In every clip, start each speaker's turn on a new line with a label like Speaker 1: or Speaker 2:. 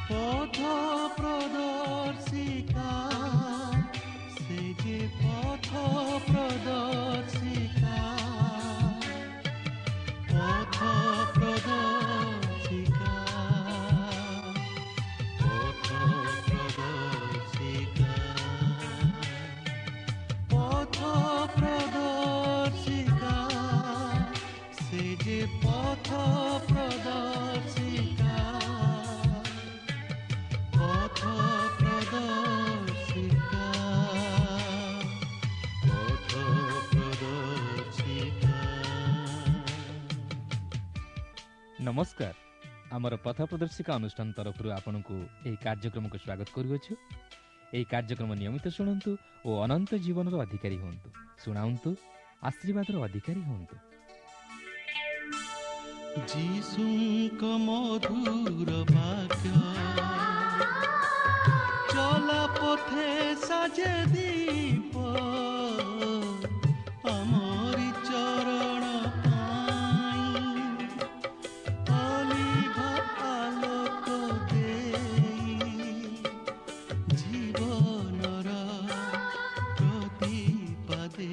Speaker 1: ପଥ ପ୍ରଦର୍ଶିକା, ସେ ଯେ ପଥ ପ୍ରଦର୍ଶିକା, ପଥ ପ୍ରଦର୍ଶିକା, ପଥ ପ୍ରଦର୍ଶିକା, ପଥ ପ୍ରଦର୍ଶିକା, ସେ ଯେ ପଥ ପ୍ରଦର୍ଶିକା, ପଥ ପ୍ରଦର୍ଶିକା, ପଥ ପ୍ରଦର୍ଶିକା।
Speaker 2: ନମସ୍କାର। ଆମର ପଥ ପ୍ରଦର୍ଶିକା ଅନୁଷ୍ଠାନ ତରଫରୁ ଆପଣଙ୍କୁ ଏହି କାର୍ଯ୍ୟକ୍ରମକୁ ସ୍ୱାଗତ କରୁଅଛୁ। ଏହି କାର୍ଯ୍ୟକ୍ରମ ନିୟମିତ ଶୁଣନ୍ତୁ ଓ ଅନନ୍ତ ଜୀବନର ଅଧିକାରୀ ହୁଅନ୍ତୁ। ଶୁଣାନ୍ତୁ, ଆଶୀର୍ବାଦର ଅଧିକାରୀ ହୁଅନ୍ତୁ।
Speaker 1: ଯୀଶୁଙ୍କ ମଧୁର ବାକ୍ୟ ଚଲା ପଥେ ସାଜେ ଦୀପ, ଆମରି ଚରଣ ପାଇଁ ଅଲିଭା ଆଲୋକ ଦେଇ, ଜୀବନର ପ୍ରତିପାଦେ,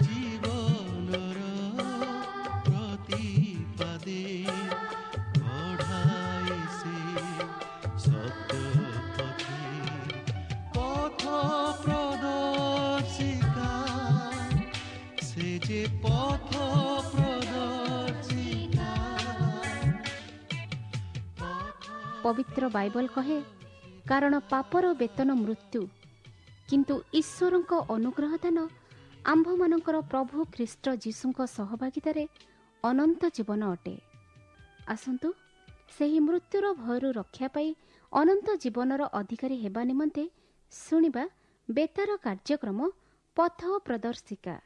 Speaker 1: ଜୀବନର ପ୍ରତିପାଦେ କଢ଼ାଏ ସେ ସତ୍ୟ ପଥେ। ପଥ ପ୍ରଦର୍ଶିକା, ସେ ଯେ ପଥ ପ୍ରଦର୍ଶିକା।
Speaker 3: ପବିତ୍ର ବାଇବଲ କହେ, କାରଣ ପାପର ବେତନ ମୃତ୍ୟୁ, କିନ୍ତୁ ଈଶ୍ୱରଙ୍କ ଅନୁଗ୍ରହ ଦାନ ଆମ୍ଭମାନଙ୍କର ପ୍ରଭୁ ଖ୍ରୀଷ୍ଟ ଯୀଶୁଙ୍କ ସହଭାଗିତାରେ ଅନନ୍ତ ଜୀବନ ଅଟେ। ଆସନ୍ତୁ ସେହି ମୃତ୍ୟୁର ଭୟରୁ ରକ୍ଷା ପାଇ ଅନନ୍ତ ଜୀବନର ଅଧିକାରୀ ହେବା ନିମନ୍ତେ ଶୁଣିବା ବେତାର କାର୍ଯ୍ୟକ୍ରମ ପଥ ପ୍ରଦର୍ଶିକା।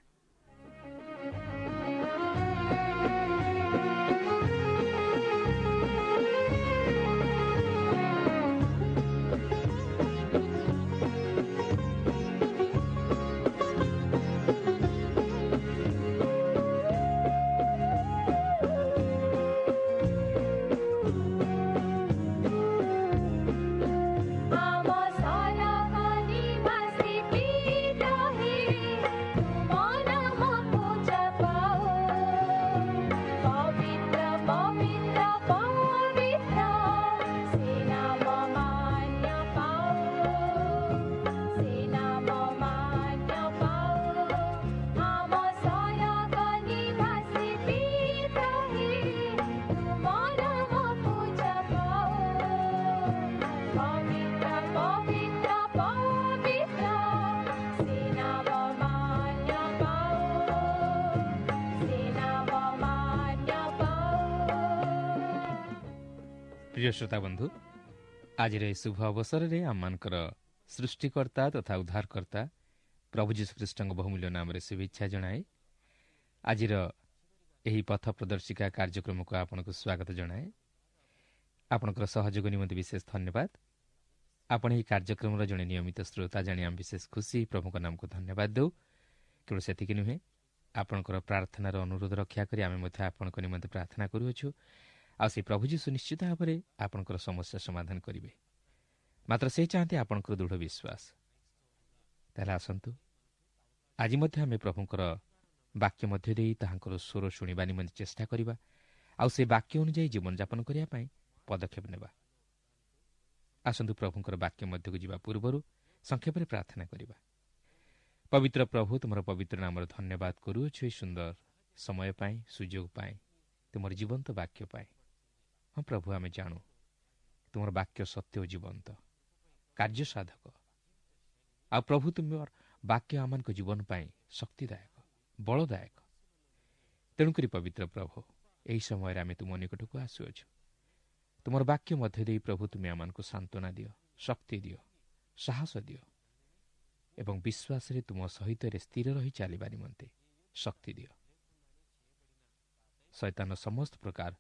Speaker 4: ଆମ ସରଗ ନିବାସୀ ପିତା ହେ, ତୁମ ନାମ ପୂଜା ପାଉ। ପବିତ୍ର ପବିତ୍ର ପବିତ୍ର, ସେ ନାମ ମାନ୍ୟ ପାଉ, ସେ ନାମ ମାନ୍ୟ ପାଉ। ଆମ ସରଗ ନିବାସୀ ପିତା ହେ, ତୁମ ନାମ ପୂଜା ପାଉ। ପବିତ୍ର ପବିତ୍ର ପବିତ୍ର, ସେ ନାମ ମାନ୍ୟ ପାଉ, ସେ ନାମ ମାନ୍ୟ ପାଉ।
Speaker 2: ପ୍ରିୟ ଶ୍ରୋତା ବନ୍ଧୁ, ଆଜିର ଏହି ଶୁଭ ଅବସରରେ ଆମମାନଙ୍କର ସୃଷ୍ଟିକର୍ତ୍ତା ତଥା ଉଦ୍ଧାରକର୍ତ୍ତା ପ୍ରଭୁ ଯୀଶୁଖ୍ରୀଷ୍ଟଙ୍କ ବହୁମୂଲ୍ୟ ନାମରେ ଶୁଭେଚ୍ଛା ଜଣାଏ ଆଜିର ଏହି ପଥ ପ୍ରଦର୍ଶିକା କାର୍ଯ୍ୟକ୍ରମକୁ ଆପଣଙ୍କୁ ସ୍ୱାଗତ ଜଣାଏ। ଆପଣଙ୍କର ସହଯୋଗ ନିମନ୍ତେ ବିଶେଷ ଧନ୍ୟବାଦ। ଆପଣ ଏହି କାର୍ଯ୍ୟକ୍ରମର ଜଣେ ନିୟମିତ ଶ୍ରୋତା ଜାଣି ଆମେ ବିଶେଷ ଖୁସି। ପ୍ରଭୁଙ୍କ ନାମକୁ ଧନ୍ୟବାଦ ଦେଉ। କେବଳ ସେତିକି ନୁହେଁ, ଆପଣଙ୍କର ପ୍ରାର୍ଥନାର ଅନୁରୋଧ ରକ୍ଷା କରି ଆମେ ମଧ୍ୟ ଆପଣଙ୍କ ନିମନ୍ତେ ପ୍ରାର୍ଥନା କରୁଅଛୁ, ଆଉ ସେ ପ୍ରଭୁ ଯୀଶୁ ନିଶ୍ଚିତ ଭାବରେ ଆପଣଙ୍କର ସମସ୍ୟା ସମାଧାନ କରିବେ। ମାତ୍ର ସେ ଚାହାନ୍ତି ଆପଣଙ୍କର ଦୃଢ଼ ବିଶ୍ୱାସ। ତାହେଲେ ଆସନ୍ତୁ ଆଜି ମଧ୍ୟ ଆମେ ପ୍ରଭୁଙ୍କର ବାକ୍ୟ ମଧ୍ୟ ଦେଇ ତାହାଙ୍କର ସ୍ୱର ଶୁଣିବା ନିମନ୍ତେ ଚେଷ୍ଟା କରିବା, ଆଉ ସେ ବାକ୍ୟ ଅନୁଯାୟୀ ଜୀବନଯାପନ କରିବା ପାଇଁ ପଦକ୍ଷେପ ନେବା। ଆସନ୍ତୁ ପ୍ରଭୁଙ୍କର ବାକ୍ୟ ମଧ୍ୟକୁ ଯିବା ପୂର୍ବରୁ ସଂକ୍ଷେପରେ ପ୍ରାର୍ଥନା କରିବା। ପବିତ୍ର ପ୍ରଭୁ, ତୁମର ପବିତ୍ର ନାମର ଧନ୍ୟବାଦ କରୁଅଛୁ ଏହି ସୁନ୍ଦର ସମୟ ପାଇଁ, ସୁଯୋଗ ପାଇଁ, ତୁମର ଜୀବନ୍ତ ବାକ୍ୟ ପାଇଁ। ହଁ ପ୍ରଭୁ, ଆମେ ଜାଣୁ ତୁମର ବାକ୍ୟ ସତ୍ୟ ଓ ଜୀବନ୍ତ, କାର୍ଯ୍ୟ ସାଧକ। ଆଉ ପ୍ରଭୁ, ତୁମର ବାକ୍ୟ ଆମମାନଙ୍କ ଜୀବନ ପାଇଁ ଶକ୍ତିଦାୟକ, ବଳଦାୟକ। ତେଣୁକରି ପବିତ୍ର ପ୍ରଭୁ, ଏହି ସମୟରେ ଆମେ ତୁମ ନିକଟକୁ ଆସୁଅଛୁ। ତୁମର ବାକ୍ୟ ମଧ୍ୟ ଦେଇ ପ୍ରଭୁ ତୁମେ ଆମମାନଙ୍କୁ ସାନ୍ତ୍ୱନା ଦିଅ, ଶକ୍ତି ଦିଅ, ସାହସ ଦିଅ ଏବଂ ବିଶ୍ୱାସରେ ତୁମ ସହିତ ସ୍ଥିର ରହି ଚାଲିବା ନିମନ୍ତେ ଶକ୍ତି ଦିଅ। ଶୈତାନ ସମସ୍ତ ପ୍ରକାର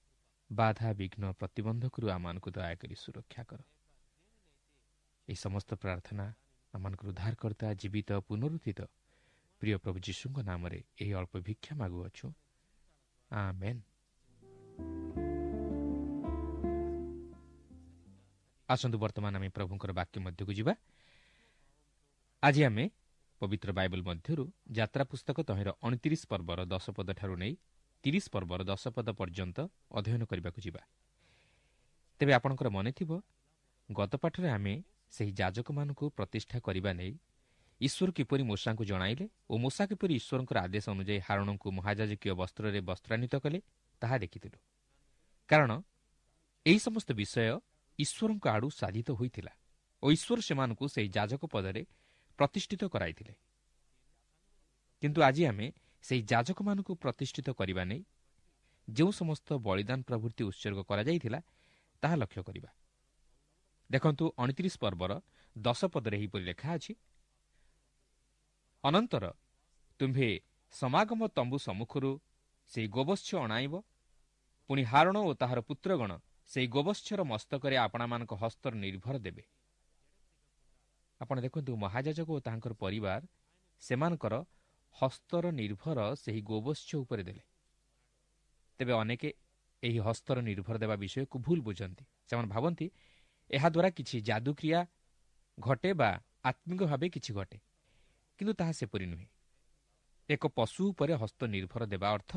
Speaker 2: ବାଧା, ବିଘ୍ନ, ପ୍ରତିବନ୍ଧକରୁ ଆମମାନଙ୍କୁ ଦୟାକରି ସୁରକ୍ଷା କର। ଏହି ସମସ୍ତ ପ୍ରାର୍ଥନା ଆମମାନଙ୍କର ଉଦ୍ଧାରକର୍ତ୍ତା, ଜୀବିତ, ପୁନରୁତ୍ଥିତ ପ୍ରିୟ ପ୍ରଭୁ ଯୀଶୁଙ୍କ ନାମରେ ଏହି ଅଳ୍ପ ଭିକ୍ଷା ମାଗୁଅଛୁ, ଆମେନ୍। ଆସନ୍ତୁ ବର୍ତ୍ତମାନ ଆମେ ପ୍ରଭୁଙ୍କର ବାକ୍ୟ ମଧ୍ୟକୁ ଯିବା। ଆଜି ଆମେ ପବିତ୍ର ବାଇବଲ ମଧ୍ୟରୁ ଯାତ୍ରା ପୁସ୍ତକ ତହିଁର 29 ପର୍ବର 10 ପଦଠାରୁ ନେଇ 30 ପର୍ବର 10 ପଦ ପର୍ଯ୍ୟନ୍ତ ଅଧ୍ୟୟନ କରିବାକୁ ଯିବା। ତେବେ ଆପଣଙ୍କର ମନେଥିବ, ଗତ ପାଠରେ ଆମେ ସେହି ଯାଜକମାନଙ୍କୁ ପ୍ରତିଷ୍ଠା କରିବା ନେଇ ଈଶ୍ୱର କିପରି ମୋଶାଙ୍କୁ ଜଣାଇଲେ ଓ ମୋଶା କିପରି ଈଶ୍ୱରଙ୍କର ଆଦେଶ ଅନୁଯାୟୀ ହାରଣଙ୍କୁ ମହାଯାଜକୀୟ ବସ୍ତ୍ରରେ ବସ୍ତ୍ରାନ୍ୱିତ କଲେ ତାହା ଦେଖିଥିଲୁ। କାରଣ ଏହି ସମସ୍ତ ବିଷୟ ଈଶ୍ୱରଙ୍କ ଆଡ଼ୁ ସାଧିତ ହୋଇଥିଲା ଓ ଈଶ୍ୱର ସେମାନଙ୍କୁ ସେହି ଯାଜକ ପଦରେ ପ୍ରତିଷ୍ଠିତ କରାଇଥିଲେ। କିନ୍ତୁ ଆଜି ଆମେ ସେହି ଯାଜକମାନଙ୍କୁ ପ୍ରତିଷ୍ଠିତ କରିବା ନେଇ ଯେଉଁ ସମସ୍ତ ବଳିଦାନ ପ୍ରଭୃତି ଉତ୍ସର୍ଗ କରାଯାଇଥିଲା ତାହା ଲକ୍ଷ୍ୟ କରିବା। ଦେଖନ୍ତୁ 29 ପର୍ବର 10 ପଦରେ ଏହିପରି ଲେଖା ଅଛି, ଅନନ୍ତର ତୁମ୍ଭେ ସମାଗମ ତମ୍ବୁ ସମ୍ମୁଖରୁ ସେହି ଗୋବତ୍ସ ଅଣାଇବ, ପୁଣି ହାରଣ ଓ ତାହାର ପୁତ୍ରଗଣ ସେହି ଗୋବତ୍ସର ମସ୍ତକରେ ଆପଣାମାନଙ୍କ ହସ୍ତର ନିର୍ଭର ଦେବେ। ଆପଣ ଦେଖନ୍ତୁ, ମହାଯାଜକ ଓ ତାହାଙ୍କର ପରିବାର ସେମାନଙ୍କର ହସ୍ତର ନିର୍ଭର ସେହି ଗୋବତ୍ସ ଉପରେ ଦେଲେ। ତେବେ ଅନେକେ ଏହି ହସ୍ତର ନିର୍ଭର ଦେବା ବିଷୟକୁ ଭୁଲ ବୁଝନ୍ତି। ସେମାନେ ଭାବନ୍ତି ଏହାଦ୍ୱାରା କିଛି ଯାଦୁକ୍ରିୟା ଘଟେ ବା ଆତ୍ମିକ ଭାବେ କିଛି ଘଟେ, କିନ୍ତୁ ତାହା ସେପରି ନୁହେଁ। ଏକ ପଶୁ ଉପରେ ହସ୍ତ ନିର୍ଭର ଦେବା ଅର୍ଥ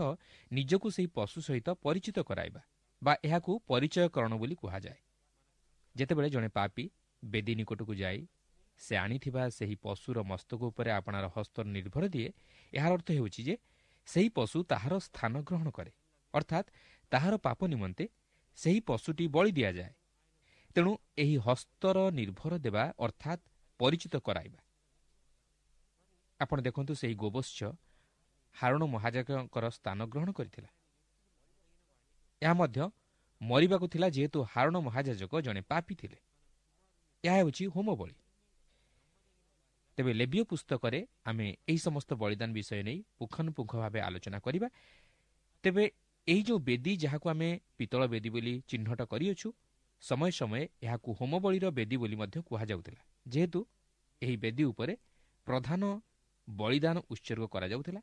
Speaker 2: ନିଜକୁ ସେହି ପଶୁ ସହିତ ପରିଚିତ କରାଇବା ବା ଏହାକୁ ପରିଚୟକରଣ ବୋଲି କୁହାଯାଏ। ଯେତେବେଳେ ଜଣେ ପାପୀ ବେଦୀ ନିକଟକୁ ଯାଇ ସେ ଆଣିଥିବା ସେହି ପଶୁର ମସ୍ତକ ଉପରେ ଆପଣାର ହସ୍ତର ନିର୍ଭର ଦିଏ, ଏହାର ଅର୍ଥ ହେଉଛି ଯେ ସେହି ପଶୁ ତାହାର ସ୍ଥାନ ଗ୍ରହଣ କରେ, ଅର୍ଥାତ୍ ତାହାର ପାପ ନିମନ୍ତେ ସେହି ପଶୁଟି ବଳି ଦିଆଯାଏ। ତେଣୁ ଏହି ହସ୍ତର ନିର୍ଭର ଦେବା ଅର୍ଥାତ୍ ପରିଚିତ କରାଇବା। ଆପଣ ଦେଖନ୍ତୁ, ସେହି ଗୋବତ୍ସ ହାରଣ ମହାଯାଜକଙ୍କର ସ୍ଥାନ ଗ୍ରହଣ କରିଥିଲା। ଏହା ମଧ୍ୟ ମରିବାକୁ ଥିଲା, ଯେହେତୁ ହାରଣ ମହାଯାଜକ ଜଣେ ପାପୀ ଥିଲେ। ଏହା ହେଉଛି ହୋମ ବଳି। ତେବେ ଲେବୀୟ ପୁସ୍ତକରେ ଆମେ ଏହି ସମସ୍ତ ବଳିଦାନ ବିଷୟ ନେଇ ପୁଙ୍ଖାନୁପୁଙ୍ଖ ଭାବେ ଆଲୋଚନା କରିବା। ତେବେ ଏହି ଯେଉଁ ବେଦୀ, ଯାହାକୁ ଆମେ ପିତ୍ତଳ ବେଦୀ ବୋଲି ଚିହ୍ନଟ କରିଅଛୁ, ସମୟ ସମୟେ ଏହାକୁ ହୋମବଳିର ବେଦୀ ବୋଲି ମଧ୍ୟ କୁହାଯାଉଥିଲା, ଯେହେତୁ ଏହି ବେଦୀ ଉପରେ ପ୍ରଧାନ ବଳିଦାନ ଉତ୍ସର୍ଗ କରାଯାଉଥିଲା।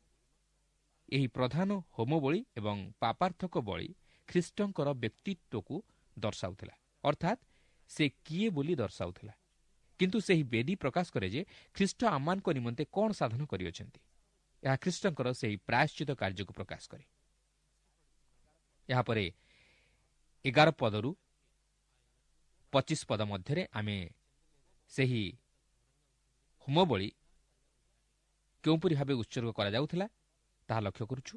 Speaker 2: ଏହି ପ୍ରଧାନ ହୋମବଳି ଏବଂ ପାପାର୍ଥକ ବଳି ଖ୍ରୀଷ୍ଟଙ୍କର ବ୍ୟକ୍ତିତ୍ୱକୁ ଦର୍ଶାଉଥିଲା, ଅର୍ଥାତ୍ ସେ କିଏ ବୋଲି ଦର୍ଶାଉଥିଲା। କିନ୍ତୁ ସେହି ବେଦୀ ପ୍ରକାଶ କରେ ଯେ ଖ୍ରୀଷ୍ଟ ଆମମାନଙ୍କ ନିମନ୍ତେ କ'ଣ ସାଧନ କରିଅଛନ୍ତି। ଏହା ଖ୍ରୀଷ୍ଟଙ୍କର ସେହି ପ୍ରାୟଶ୍ଚିତ କାର୍ଯ୍ୟକୁ ପ୍ରକାଶ କରେ। ଏହାପରେ 11 ପଦରୁ 25 ପଦ ମଧ୍ୟରେ ଆମେ ସେହି ହୋମବଳି କେଉଁପରି ଭାବେ ଉତ୍ସର୍ଗ କରାଯାଉଥିଲା ତାହା ଲକ୍ଷ୍ୟ କରୁଛୁ।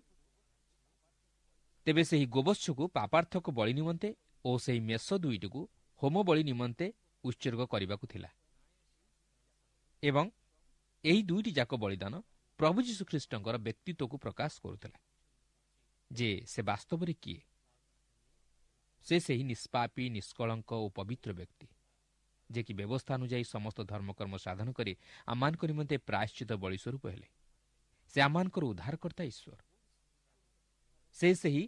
Speaker 2: ତେବେ ସେହି ଗୋବତ୍ସକୁ ପାପାର୍ଥକ ବଳି ନିମନ୍ତେ ଓ ସେହି ମେଷ ଦୁଇଟିକୁ ହୋମବଳି ନିମନ୍ତେ ଉତ୍ସର୍ଗ କରିବାକୁ ଥିଲା, ଏବଂ ଏହି ଦୁଇଟି ଯାକ ବଳିଦାନ ପ୍ରଭୁ ଯୀଶୁଖ୍ରୀଷ୍ଟଙ୍କର ବ୍ୟକ୍ତିତ୍ୱକୁ ପ୍ରକାଶ କରୁଥିଲା ଯେ ସେ ବାସ୍ତବରେ କିଏ। ସେ ସେହି ନିଷ୍ପାପୀ, ନିଷ୍କଳଙ୍କ ଓ ପବିତ୍ର ବ୍ୟକ୍ତି, ଯେ କି ବ୍ୟବସ୍ଥା ଅନୁଯାୟୀ ସମସ୍ତ ଧର୍ମକର୍ମ ସାଧନ କରି ଆମମାନଙ୍କ ନିମନ୍ତେ ପ୍ରାୟଶ୍ଚିତ ବଳି ସ୍ୱରୂପ ହେଲେ। ସେ ଆମମାନଙ୍କର ଉଦ୍ଧାରକର୍ତ୍ତା ଈଶ୍ୱର। ସେ ସେହି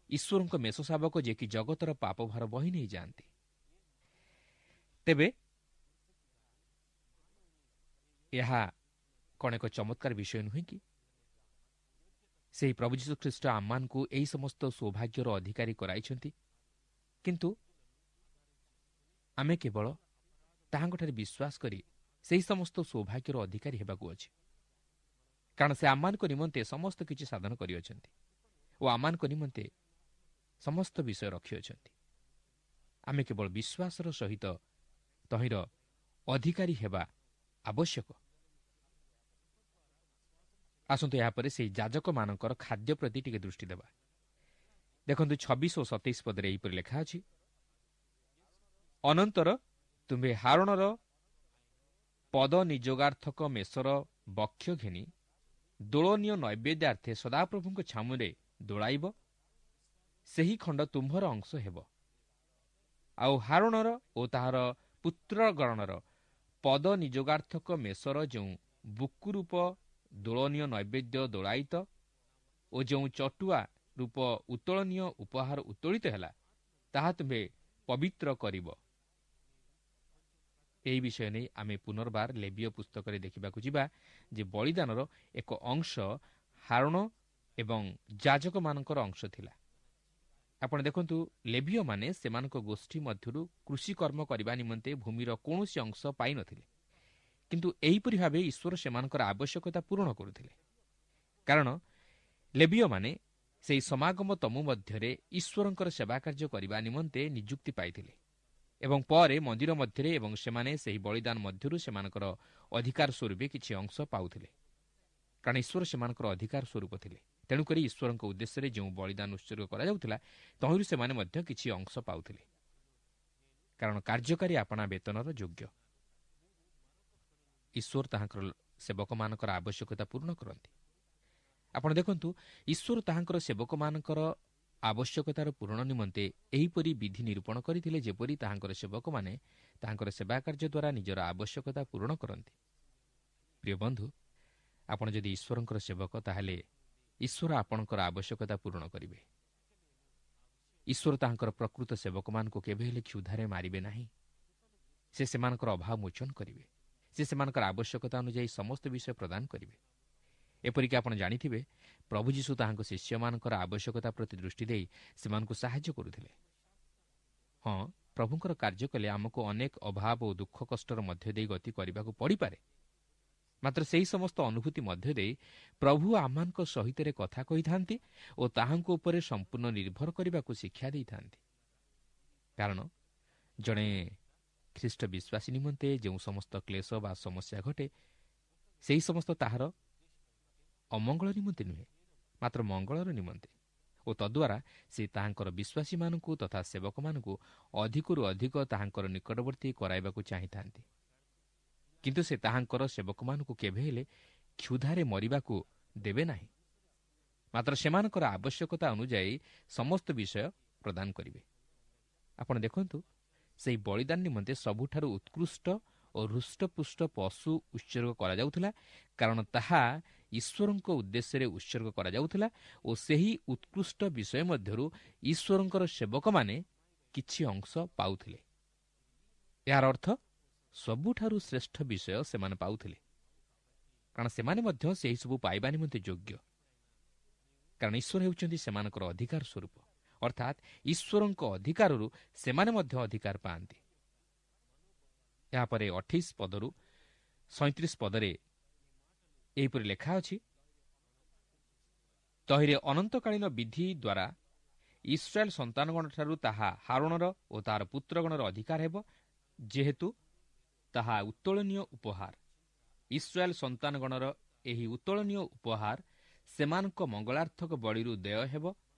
Speaker 2: ଈଶ୍ୱରଙ୍କ ମେଷ ଶାବକ, ଯେ କି ଜଗତର ପାପଭାର ବହି ନେଇଯାଆନ୍ତି। ତେବେ ଏହା କ'ଣ ଏକ ଚମତ୍କାର ବିଷୟ ନୁହେଁ କି? ସେହି ପ୍ରଭୁ ଯୀଶୁଖ୍ରୀଷ୍ଟ ଆମମାନଙ୍କୁ ଏହି ସମସ୍ତ ସୌଭାଗ୍ୟର ଅଧିକାରୀ କରାଇଛନ୍ତି, କିନ୍ତୁ ଆମେ କେବଳ ତାହାଙ୍କଠାରେ ବିଶ୍ୱାସ କରି ସେହି ସମସ୍ତ ସୌଭାଗ୍ୟର ଅଧିକାରୀ ହେବାକୁ ଅଛି। କାରଣ ସେ ଆମମାନଙ୍କ ନିମନ୍ତେ ସମସ୍ତ କିଛି ସାଧନ କରିଅଛନ୍ତି ଓ ଆମମାନଙ୍କ ନିମନ୍ତେ ସମସ୍ତ ବିଷୟ ରଖିଅଛନ୍ତି। ଆମେ କେବଳ ବିଶ୍ୱାସର ସହିତ ତହିଁର ଅଧିକାରୀ ହେବା ଆବଶ୍ୟକ। ଆସନ୍ତୁ ଏହାପରେ ସେହି ଯାଜକମାନଙ୍କର ଖାଦ୍ୟ ପ୍ରତି ଟିକେ ଦୃଷ୍ଟି ଦେବା। ଦେଖନ୍ତୁ 26 ଓ 27 ପଦରେ ଏହିପରି ଲେଖା ଅଛି, ଅନନ୍ତର ତୁମ୍ଭେ ହାରଣର ପଦ ନିଯୋଗାର୍ଥକ ମେଷର ବକ୍ଷ ଘେନି ଦୋଳନୀୟ ନୈବେଦ୍ୟାର୍ଥେ ସଦାପ୍ରଭୁଙ୍କ ଛାମୁରେ ଦୋଳାଇବ, ସେହି ଖଣ୍ଡ ତୁମ୍ଭର ଅଂଶ ହେବ। ଆଉ ହାରଣର ଓ ତାହାର ପୁତ୍ରଗଣର ପଦ ନିଯୋଗାର୍ଥକ ମେଷର ଯେଉଁ ବୁକୁରୂପ ଦୋଳନୀୟ ନୈବେଦ୍ୟ ଦୋଳାୟିତ ଓ ଯେଉଁ ଚଟୁଆ ରୂପ ଉତ୍ତୋଳନୀୟ ଉପହାର ଉତ୍ତୋଳିତ ହେଲା, ତାହା ତୁମ୍ଭେ ପବିତ୍ର କରିବ। ଏହି ବିଷୟ ନେଇ ଆମେ ପୁନର୍ବାର ଲେବୀୟ ପୁସ୍ତକରେ ଦେଖିବାକୁ ଯିବା ଯେ ବଳିଦାନର ଏକ ଅଂଶ ହାରଣ ଏବଂ ଯାଜକମାନଙ୍କର ଅଂଶ ଥିଲା। ଆପଣ ଦେଖନ୍ତୁ, ଲେବୀୟମାନେ ସେମାନଙ୍କ ଗୋଷ୍ଠୀ ମଧ୍ୟରୁ କୃଷିକର୍ମ କରିବା ନିମନ୍ତେ ଭୂମିର କୌଣସି ଅଂଶ ପାଇନଥିଲେ, କିନ୍ତୁ ଏହିପରି ଭାବେ ଈଶ୍ୱର ସେମାନଙ୍କର ଆବଶ୍ୟକତା ପୂରଣ କରୁଥିଲେ। କାରଣ ଲେବୀୟମାନେ ସେହି ସମାଗମ ତମ୍ବୁ ମଧ୍ୟରେ ଈଶ୍ୱରଙ୍କର ସେବା କାର୍ଯ୍ୟ କରିବା ନିମନ୍ତେ ନିଯୁକ୍ତି ପାଇଥିଲେ ଏବଂ ପରେ ମନ୍ଦିର ମଧ୍ୟରେ, ଏବଂ ସେମାନେ ସେହି ବଳିଦାନ ମଧ୍ୟରୁ ସେମାନଙ୍କର ଅଧିକାର ସ୍ୱରୂପେ କିଛି ଅଂଶ ପାଉଥିଲେ, କାରଣ ଈଶ୍ୱର ସେମାନଙ୍କର ଅଧିକାର ସ୍ୱରୂପ ଥିଲେ। ତେଣୁକରି ଈଶ୍ୱରଙ୍କ ଉଦ୍ଦେଶ୍ୟରେ ଯେଉଁ ବଳିଦାନ ଉତ୍ସର୍ଗ କରାଯାଉଥିଲା ତହିଁରୁ ସେମାନେ ମଧ୍ୟ କିଛି ଅଂଶ ପାଉଥିଲେ, କାରଣ କାର୍ଯ୍ୟକାରୀ ଆପଣା ବେତନର ଯୋଗ୍ୟ। ଈଶ୍ୱର ତାହାଙ୍କର ସେବକମାନଙ୍କର ଆବଶ୍ୟକତା ପୂର୍ଣ୍ଣ କରନ୍ତି। ଆପଣ ଦେଖନ୍ତୁ, ଈଶ୍ୱର ତାହାଙ୍କର ସେବକମାନଙ୍କର ଆବଶ୍ୟକତାର ପୂରଣ ନିମନ୍ତେ ଏହିପରି ବିଧି ନିରୂପଣ କରିଥିଲେ, ଯେପରି ତାହାଙ୍କର ସେବକମାନେ ତାହାଙ୍କର ସେବା କାର୍ଯ୍ୟ ଦ୍ୱାରା ନିଜର ଆବଶ୍ୟକତା ପୂରଣ କରନ୍ତି। ପ୍ରିୟ ବନ୍ଧୁ, ଆପଣ ଯଦି ଈଶ୍ୱରଙ୍କର ସେବକ, ତାହେଲେ ଈଶ୍ୱର ଆପଣଙ୍କର ଆବଶ୍ୟକତା ପୂରଣ କରିବେ। ଈଶ୍ୱର ତାହାଙ୍କର ପ୍ରକୃତ ସେବକମାନଙ୍କୁ କେବେ ହେଲେ କ୍ଷୁଧାରେ ମାରିବେ ନାହିଁ। ସେ ସେମାନଙ୍କର ଅଭାବ ମୋଚନ କରିବେ। ସେ ସେମାନଙ୍କର ଆବଶ୍ୟକତା ଅନୁଯାୟୀ ସମସ୍ତ ବିଷୟ ପ୍ରଦାନ କରିବେ। ଏପରିକି ଆପଣ ଜାଣିଥିବେ, ପ୍ରଭୁ ଯୀଶୁ ତାହାଙ୍କ ଶିଷ୍ୟମାନଙ୍କର ଆବଶ୍ୟକତା ପ୍ରତି ଦୃଷ୍ଟି ଦେଇ ସେମାନଙ୍କୁ ସାହାଯ୍ୟ କରୁଥିଲେ। ହଁ, ପ୍ରଭୁଙ୍କର କାର୍ଯ୍ୟ କଲେ ଆମକୁ ଅନେକ ଅଭାବ ଓ ଦୁଃଖ କଷ୍ଟର ମଧ୍ୟ ଦେଇ ଗତି କରିବାକୁ ପଡ଼ିପାରେ, ମାତ୍ର ସେହି ସମସ୍ତ ଅନୁଭୂତି ମଧ୍ୟ ଦେଇ ପ୍ରଭୁ ଆମମାନଙ୍କ ସହିତରେ କଥା କହିଥାନ୍ତି ଓ ତାହାଙ୍କ ଉପରେ ସମ୍ପୂର୍ଣ୍ଣ ନିର୍ଭର କରିବାକୁ ଶିକ୍ଷା ଦେଇଥାନ୍ତି। କାରଣ ଜଣେ ଖ୍ରୀଷ୍ଟ ବିଶ୍ୱାସୀ ନିମନ୍ତେ ଯେଉଁ ସମସ୍ତ କ୍ଲେଶ ବା ସମସ୍ୟା ଘଟେ, ସେହି ସମସ୍ତ ତାହାର ଅମଙ୍ଗଳ ନିମନ୍ତେ ନୁହେଁ, ମାତ୍ର ମଙ୍ଗଳର ନିମନ୍ତେ, ଓ ତଦ୍ୱାରା ସେ ତାହାଙ୍କର ବିଶ୍ୱାସୀମାନଙ୍କୁ ତଥା ସେବକମାନଙ୍କୁ ଅଧିକରୁ ଅଧିକ ତାହାଙ୍କର ନିକଟବର୍ତ୍ତୀ କରାଇବାକୁ ଚାହିଁଥାନ୍ତି। କିନ୍ତୁ ସେ ତାହାଙ୍କର ସେବକମାନଙ୍କୁ କେବେ ହେଲେ କ୍ଷୁଧାରେ ମରିବାକୁ ଦେବେ ନାହିଁ, ମାତ୍ର ସେମାନଙ୍କର ଆବଶ୍ୟକତା ଅନୁଯାୟୀ ସମସ୍ତ ବିଷୟ ପ୍ରଦାନ କରିବେ। ଆପଣ ଦେଖନ୍ତୁ, ସେହି ବଳିଦାନ ନିମନ୍ତେ ସବୁଠାରୁ ଉତ୍କୃଷ୍ଟ ଓ ହୃଷ୍ଟପୁଷ୍ଟ ପଶୁ ଉତ୍ସର୍ଗ କରାଯାଉଥିଲା, କାରଣ ତାହା ଈଶ୍ୱରଙ୍କ ଉଦ୍ଦେଶ୍ୟରେ ଉତ୍ସର୍ଗ କରାଯାଉଥିଲା ଓ ସେହି ଉତ୍କୃଷ୍ଟ ବିଷୟ ମଧ୍ୟରୁ ଈଶ୍ୱରଙ୍କର ସେବକମାନେ କିଛି ଅଂଶ ପାଉଥିଲେ। ଏହାର ଅର୍ଥ ସବୁଠାରୁ ଶ୍ରେଷ୍ଠ ବିଷୟ ସେମାନେ ପାଉଥିଲେ, କାରଣ ସେମାନେ ମଧ୍ୟ ସେହିସବୁ ପାଇବା ନିମନ୍ତେ ଯୋଗ୍ୟ, କାରଣ ଈଶ୍ୱର ହେଉଛନ୍ତି ସେମାନଙ୍କର ଅଧିକାର ସ୍ୱରୂପ। ଅର୍ଥାତ୍ ଈଶ୍ୱରଙ୍କ ଅଧିକାରରୁ ସେମାନେ ମଧ୍ୟ ଅଧିକାର ପାଆନ୍ତି। ଏହାପରେ 28 ପଦରୁ 37 ପଦରେ ଏହିପରି ଲେଖା ଅଛି, ତହିଁରେ ଅନନ୍ତକାଳୀନ ବିଧି ଦ୍ୱାରା ଇସ୍ରାଏଲ ସନ୍ତାନଗଣଠାରୁ ତାହା ହାରୋଣର ଓ ତାହାର ପୁତ୍ରଗଣର ଅଧିକାର ହେବ, ଯେହେତୁ ତାହା ଉତ୍ତୋଳନୀୟ ଉପହାର। ଇସ୍ରାଏଲ ସନ୍ତାନଗଣର ଏହି ଉତ୍ତୋଳନୀୟ ଉପହାର ସେମାନଙ୍କ ମଙ୍ଗଳାର୍ଥକ ବଳିରୁ ଦେୟ ହେବ।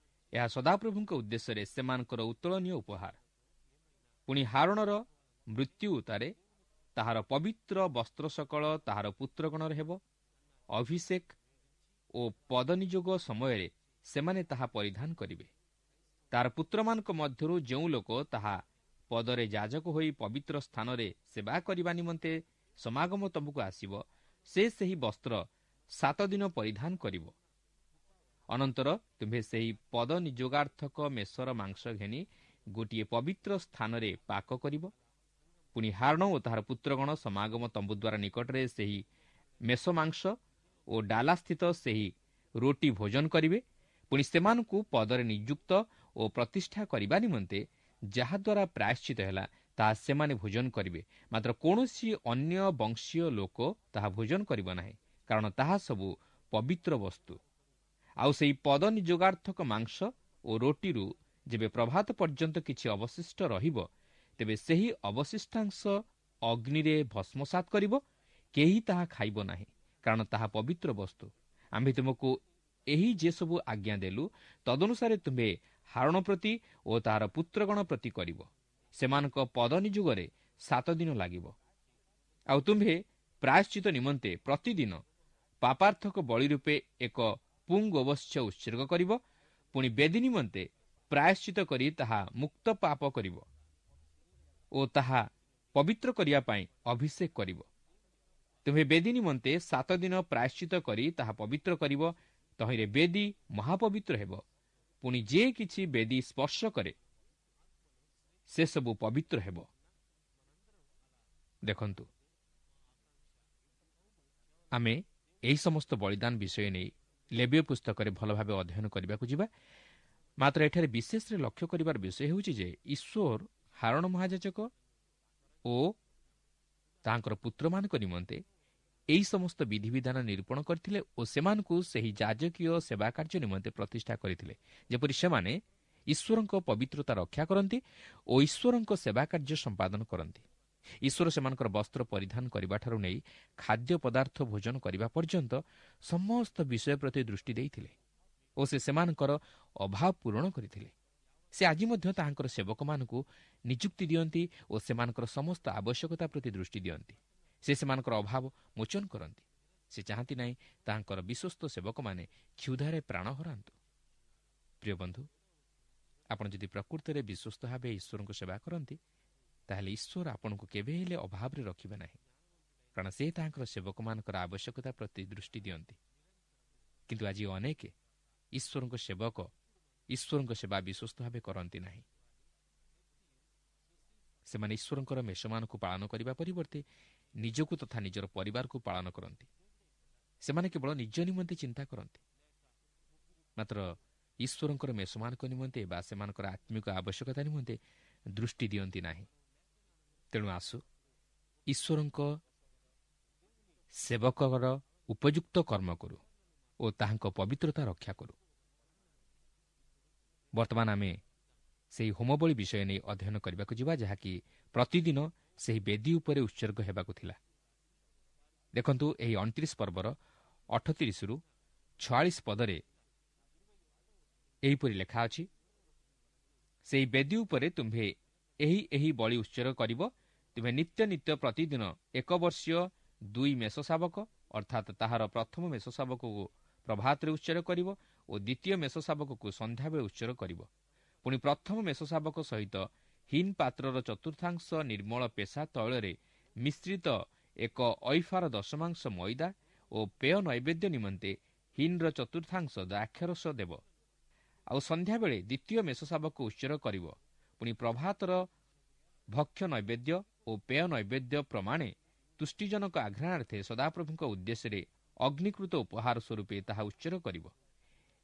Speaker 2: ଏହା ସଦାପ୍ରଭୁଙ୍କ ଉଦ୍ଦେଶ୍ୟରେ ସେମାନଙ୍କର ଉତ୍ତୋଳନୀୟ ଉପହାର। ପୁଣି ହାରୋଣର ମୃତ୍ୟୁ ଉତ୍ତାରେ ତାହାର ପବିତ୍ର ବସ୍ତ୍ର ସକଳ ତାହାର ପୁତ୍ରଗଣର ହେବ। ଅଭିଷେକ ଓ ପଦନିଯୋଗ ସମୟରେ ସେମାନେ ତାହା ପରିଧାନ କରିବେ। ତାହାର ପୁତ୍ରମାନଙ୍କ ମଧ୍ୟରୁ ଯେଉଁ ଲୋକ ତାହା ପଦରେ ଯାଜକ ହୋଇ ପବିତ୍ର ସ୍ଥାନରେ ସେବା କରିବା ନିମନ୍ତେ ସମାଗମ ତମ୍ବୁକୁ ଆସିବ, ସେ ସେହି ବସ୍ତ୍ର 7 ଦିନ ପରିଧାନ କରିବ। ଅନନ୍ତର ତୁମ୍ଭେ ସେହି ପଦ ନିଯୋଗାର୍ଥକ ମେଷର ମାଂସ ଘେନି ଗୋଟିଏ ପବିତ୍ର ସ୍ଥାନରେ ପାକ କରିବ। ପୁଣି ହାରୋଣ ଓ ତାହାର ପୁତ୍ରଗଣ ସମାଗମ ତମ୍ବୁ ଦ୍ୱାରା ନିକଟରେ ସେହି ମେଷ ମାଂସ ଓ ଡାଲାସ୍ଥିତ ସେହି ରୋଟି ଭୋଜନ କରିବେ। ପୁଣି ସେମାନଙ୍କୁ ପଦରେ ନିଯୁକ୍ତ ଓ ପ୍ରତିଷ୍ଠା କରିବା ନିମନ୍ତେ ଯାହାଦ୍ୱାରା ପ୍ରାୟଶ୍ଚିତ ହେଲା, ତାହା ସେମାନେ ଭୋଜନ କରିବେ। ମାତ୍ର କୌଣସି ଅନ୍ୟ ବଂଶୀୟ ଲୋକ ତାହା ଭୋଜନ କରିବ ନାହିଁ, କାରଣ ତାହା ସବୁ ପବିତ୍ର ବସ୍ତୁ। ଆଉ ସେହି ପଦ ନିଯୋଗାର୍ଥକ ମାଂସ ଓ ରୋଟିରୁ ଯେବେ ପ୍ରଭାତ ପର୍ଯ୍ୟନ୍ତ କିଛି ଅବଶିଷ୍ଟ ରହିବ, ତେବେ ସେହି ଅବଶିଷ୍ଟାଂଶ ଅଗ୍ନିରେ ଭସ୍ମସାତ କରିବ। କେହି ତାହା ଖାଇବ ନାହିଁ, କାରଣ ତାହା ପବିତ୍ର ବସ୍ତୁ। ଆମ୍ଭେ ତୁମକୁ ଏହି ଯେସବୁ ଆଜ୍ଞା ଦେଲୁ, ତଦନୁସାରେ ତୁମ୍ଭେ ହାରୋଣ ପ୍ରତି ଓ ତାହାର ପୁତ୍ରଗଣ ପ୍ରତି କରିବ। ସେମାନଙ୍କ ପଦ ନିଯୋଗରେ 7 ଦିନ ଲାଗିବ। ଆଉ ତୁମ୍ଭେ ପ୍ରାୟଶ୍ଚିତ ନିମନ୍ତେ ପ୍ରତିଦିନ ପାପାର୍ଥକ ବଳି ରୂପେ ଏକ ପୁଙ୍ଗୋବତ୍ସ ଉତ୍ସର୍ଗ କରିବ। ପୁଣି ବେଦୀ ନିମନ୍ତେ ପ୍ରାୟଶ୍ଚିତ କରି ତାହା ମୁକ୍ତ ପାପ କରିବ ଓ ତାହା ପବିତ୍ର କରିବା ପାଇଁ ଅଭିଷେକ କରିବ। ତୁମ୍ଭେ ବେଦୀ ନିମନ୍ତେ 7 ଦିନ ପ୍ରାୟଶ୍ଚିତ କରି ତାହା ପବିତ୍ର କରିବ। ତହିଁରେ ବେଦୀ ମହାପବିତ୍ର ହେବ। ପୁଣି ଯେ କିଛି ବେଦୀ ସ୍ପର୍ଶ କରେ ସେସବୁ ପବିତ୍ର ହେବ। ଦେଖନ୍ତୁ, ଆମେ ଏହି ସମସ୍ତ ବଳିଦାନ ବିଷୟ ନେଇ ଲେବୀୟ ପୁସ୍ତକରେ ଭଲ ଭାବେ ଅଧ୍ୟୟନ କରିବାକୁ ଯିବା। ମାତ୍ର ଏଠାରେ ବିଶେଷରେ ଲକ୍ଷ୍ୟ କରିବାର ବିଷୟ ହେଉଛି ଯେ ଈଶ୍ୱର ହାରଣ ମହାଯାଜକ ଓ ତାଙ୍କର ପୁତ୍ରମାନଙ୍କ ନିମନ୍ତେ ଏହି ସମସ୍ତ ବିଧିବିଧାନ ନିରୂପଣ କରିଥିଲେ ଓ ସେମାନଙ୍କୁ ସେହି ଯାଜକୀୟ ସେବା କାର୍ଯ୍ୟ ନିମନ୍ତେ ପ୍ରତିଷ୍ଠା କରିଥିଲେ, ଯେପରି ସେମାନେ ଈଶ୍ୱରଙ୍କ ପବିତ୍ରତା ରକ୍ଷା କରନ୍ତି ଓ ଈଶ୍ୱରଙ୍କ ସେବା କାର୍ଯ୍ୟ ସମ୍ପାଦନ କରନ୍ତି। ଈଶ୍ୱର ସେମାନଙ୍କର ବସ୍ତ୍ର ପରିଧାନ କରିବାଠାରୁ ନେଇ ଖାଦ୍ୟ ପଦାର୍ଥ ଭୋଜନ କରିବା ପର୍ଯ୍ୟନ୍ତ ସମସ୍ତ ବିଷୟ ପ୍ରତି ଦୃଷ୍ଟି ଦେଇଥିଲେ ଓ ସେ ସେମାନଙ୍କର ଅଭାବ ପୂରଣ କରିଥିଲେ। ସେ ଆଜି ମଧ୍ୟ ତାହାଙ୍କର ସେବକମାନଙ୍କୁ ନିଯୁକ୍ତି ଦିଅନ୍ତି ଓ ସେମାନଙ୍କର ସମସ୍ତ ଆବଶ୍ୟକତା ପ୍ରତି ଦୃଷ୍ଟି ଦିଅନ୍ତି। ସେ ସେମାନଙ୍କର ଅଭାବ ମୋଚନ କରନ୍ତି। ସେ ଚାହାନ୍ତି ନାହିଁ ତାହାଙ୍କର ବିଶ୍ୱସ୍ତ ସେବକମାନେ କ୍ଷୁଧାରେ ପ୍ରାଣ ହରାନ୍ତୁ। ପ୍ରିୟ ବନ୍ଧୁ, ଆପଣ ଯଦି ପ୍ରକୃତରେ ବିଶ୍ୱସ୍ତ ଭାବେ ଈଶ୍ୱରଙ୍କୁ ସେବା କରନ୍ତି, ତାହେଲେ ଈଶ୍ୱର ଆପଣଙ୍କୁ କେବେ ହେଲେ ଅଭାବରେ ରଖିବେ ନାହିଁ, କାରଣ ସେ ତାହାଙ୍କର ସେବକମାନଙ୍କର ଆବଶ୍ୟକତା ପ୍ରତି ଦୃଷ୍ଟି ଦିଅନ୍ତି। କିନ୍ତୁ ଆଜି ଅନେକ ଈଶ୍ୱରଙ୍କ ସେବକ ଈଶ୍ୱରଙ୍କ ସେବା ବିଶ୍ୱସ୍ତ ଭାବେ କରନ୍ତି ନାହିଁ। ସେମାନେ ଈଶ୍ୱରଙ୍କର ମେଷମାନଙ୍କୁ ପାଳନ କରିବା ପରିବର୍ତ୍ତେ ନିଜକୁ ତଥା ନିଜର ପରିବାରକୁ ପାଳନ କରନ୍ତି। ସେମାନେ କେବଳ ନିଜ ନିମନ୍ତେ ଚିନ୍ତା କରନ୍ତି, ମାତ୍ର ଈଶ୍ୱରଙ୍କର ମେଷମାନଙ୍କ ନିମନ୍ତେ ବା ସେମାନଙ୍କର ଆତ୍ମିକ ଆବଶ୍ୟକତା ନିମନ୍ତେ ଦୃଷ୍ଟି ଦିଅନ୍ତି ନାହିଁ। ତେଣୁ ଆସୁ ଈଶ୍ୱରଙ୍କ ସେବକର ଉପଯୁକ୍ତ କର୍ମ କରୁ ଓ ତାହାଙ୍କ ପବିତ୍ରତା ରକ୍ଷା କରୁ। ବର୍ତ୍ତମାନ ଆମେ ସେହି ହୋମବଳି ବିଷୟ ନେଇ ଅଧ୍ୟୟନ କରିବାକୁ ଯିବା, ଯାହାକି ପ୍ରତିଦିନ ସେହି ବେଦୀ ଉପରେ ଉତ୍ସର୍ଗ ହେବାକୁ ଥିଲା। ଦେଖନ୍ତୁ, ଏହି 29 ପର୍ବର 38ରୁ 46 ପଦରେ ଏହିପରି ଲେଖା ଅଛି, ସେହି ବେଦୀ ଉପରେ ତୁମ୍ଭେ ଏହି ଏହି ବଳି ଉତ୍ସର୍ଗ କରିବ। ତୁମେ ନିତ୍ୟ ନିତ୍ୟ ପ୍ରତିଦିନ 1 ବର୍ଷୀୟ 2 ମେଷ ଶାବକ, ଅର୍ଥାତ୍ ତାହାର ପ୍ରଥମ ମେଷ ଶାବକକୁ ପ୍ରଭାତରେ ଉତ୍ସର୍ଗ କରିବ ଓ ଦ୍ୱିତୀୟ ମେଷ ଶାବକକୁ ସନ୍ଧ୍ୟାବେଳେ ଉତ୍ସର୍ଗ କରିବ। ପୁଣି ପ୍ରଥମ ମେଷ ଶାବକ ସହିତ ହିନ୍ ପାତ୍ରର ଚତୁର୍ଥାଂଶ ନିର୍ମଳ ପେଷା ତୈଳରେ ମିଶ୍ରିତ 1 ଐଫାର ଦଶମାଂଶ ମଇଦା ଓ ପେୟ ନୈବେଦ୍ୟ ନିମନ୍ତେ ହିନ୍ର ଚତୁର୍ଥାଂଶ ଦ୍ରାକ୍ଷାରସ ଦେବ। ଆଉ ସନ୍ଧ୍ୟାବେଳେ ଦ୍ୱିତୀୟ ମେଷ ଶାବକ ଉତ୍ସର୍ଗ କରିବ। ପୁଣି ପ୍ରଭାତର ଭକ୍ଷ୍ୟ ନୈବେଦ୍ୟ ଓ ପେୟ ନୈବେଦ୍ୟ ପ୍ରମାଣେ ତୁଷ୍ଟିଜନକ ଆଘ୍ରାଣାର୍ଥେ ସଦାପ୍ରଭୁଙ୍କ ଉଦ୍ଦେଶ୍ୟରେ ଅଗ୍ନିକୃତ ଉପହାର ସ୍ୱରୂପେ ତାହା ଉତ୍ସର୍ଗ କରିବ।